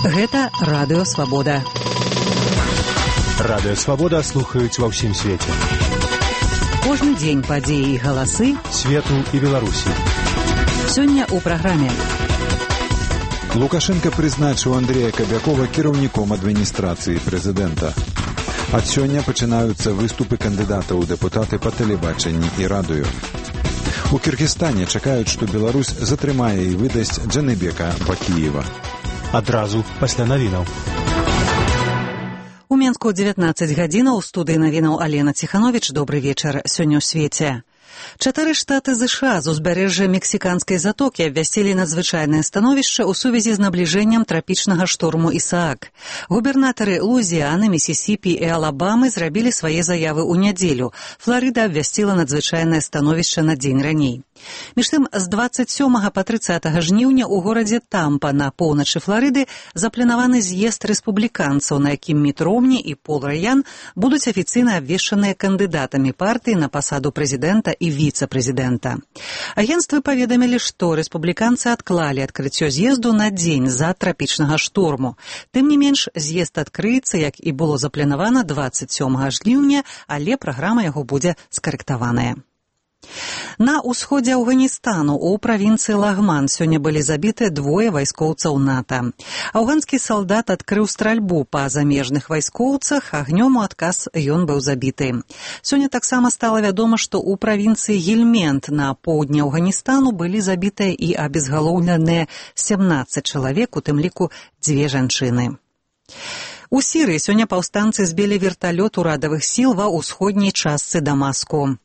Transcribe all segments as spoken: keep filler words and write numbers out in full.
Гэта Радыё Свабода. Радыё Свабода слухаюць ва ўсім свеце. Кожны дзень падзеі і галасы свету і Беларусі. Сёння ў праграме. Лукашенко прызначыў Андрея Кабякова кіраўніком адміністрацыі прэзідэнта. Ад сёння пачынаюцца выступы кандыдатаў у дэпутаты па тэлебачанні і радыё. У Кіргізстане чакаюць, што Беларусь затрымае і выдасць Джаныбека Бакіева. Адразу пасля навінаў. У Менску дзевятнаццаць гадзінаў, у студыі навінаў Алена Ціхановіч. Добры вечар. Сёння ў свеце. Чатыры штаты ЗША з узбярэжжа мексіканскай затокі абвясцілі надзвычайнае становішча ў сувязі з набліжэннем трапічнага шторму Ісаак. Губернатары Луізіяны, Місісіпі і Алабамы зрабілі свае заявы ў нядзелю. Фларыда абвясціла надзвычайнае становішча на дзень раней. Між тым, з дваццаць сёмага па трыццатага жніўня ў горадзе Тампа на поўначы Фларыды запланаваны з'езд рэспубліканцаў, на якім Міт Ромні і Пол Раян будуць афіцыйна абвешчаныя кандыдатамі партыі на пасаду прэзідэнта і віцэ-прэзідэнта. Агенцтвы паведамілі, што рэспубліканцы адклалі адкрыццё з'езду на дзень з-за трапічнага шторму. Тым не менш, з'езд адкрыецца, як і было запланавана дваццаць сёмага жніўня, але праграма яго будзе скарэктаваная. На ўсходзе Афганістану ў правінцыі Лагман сёння былі забіты двое вайскоўцаў НАТО. Афганскі салдат адкрыў стральбу па замежных вайскоўцах, агнём у адказ ён быў забіты. Сёння таксама стала вядома, што ў правінцыі Гельмент на поўдні Афганістану былі забітыя і абезгалоўленыя сямнаццаць чалавек, у тым ліку дзве жанчыны. У Сірыі сёння паўстанцы збілі верталёт урадавых сіл ва ўсходняй частцы Дамаску.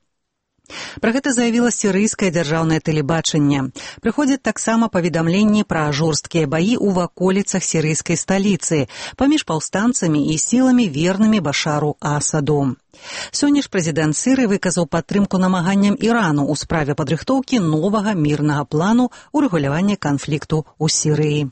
Пра гэта заявіла сірыйскае дзяржаўнае тэлебачанне. Прыходзяць таксама паведамленні пра жорсткія баі ў ваколіцах сірыйскай сталіцы паміж паўстанцамі і сіламі, вернымі Башару Асаду. Сёння ж прэзідэнт Сірыі выказаў падтрымку намаганням Ірану ў справе падрыхтоўкі новага мірнага плану урэгулявання канфлікту ў Сірыі.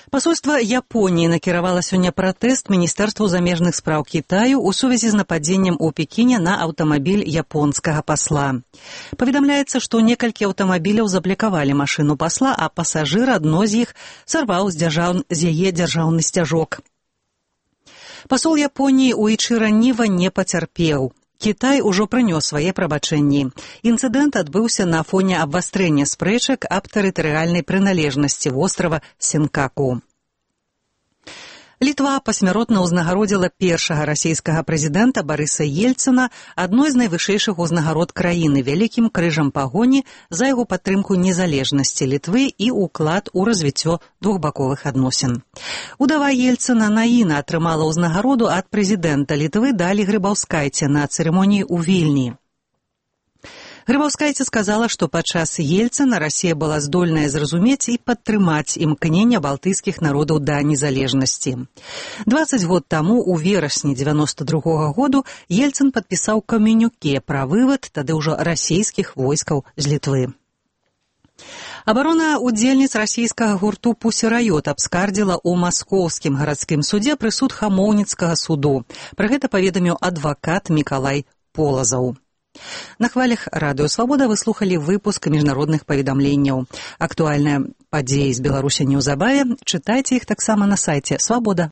Пасольства Японіі накіравала сёння пратэст Міністэрству замежных спраў Кітаю ў сувязі з нападзеннем у Пекіне на аўтамабіль японскага пасла. Паведамляецца, што некалькі аўтамабіляў заблакавалі машыну пасла, а пасажыр адно з іх сарваў з, дзяржаў... з яе дзяржаўны сцяжок. Пасол Японіі Уічыра Ніва не пацярпеў. Кітай ужо прынёс свае прабачэнні. Інцыдэнт адбыўся на фоне абвастрэння спрэчак аб тэрытарыяльнай прыналежнасці вострава Сенкаку. Літва пасмяротна ўзнагародзіла першага расійскага прэзідэнта Барыса Ельцына адной з найвышэйшых узнагарод краіны вялікім крыжам пагоні за яго падтрымку незалежнасці Літвы і ўклад у развіццё двухбаковых адносін. Удава Ельцына Наіна атрымала ўзнагароду ад прэзідэнта Літвы Далі Грыбаўскайце на цырымоніі ў Вільні. Грыбаўскайце сказала, што падчас Ельцына Расія была здольная зразумець і падтрымаць імкнення балтыйскіх народаў да незалежнасці. дваццаць год таму, у верасні дзевяноста другога году, Ельцын падпісаў камюніке пра вывад тады ўжо расійскіх войскаў з Літвы. Абарона удзельніц расійскага гурту «Пусі Райот» абскардзіла ў маскоўскім гарадскім судзе прысуд Хамоўніцкага суду. Пра гэта паведаміў адвакат Мікалай Полазаў. На хвалях Радыё Свабода вы слухалі выпуск міжнародных паведамленняў. Актуальныя падзеі з Беларусі неўзабаве. Чытайце іх таксама на сайце свабода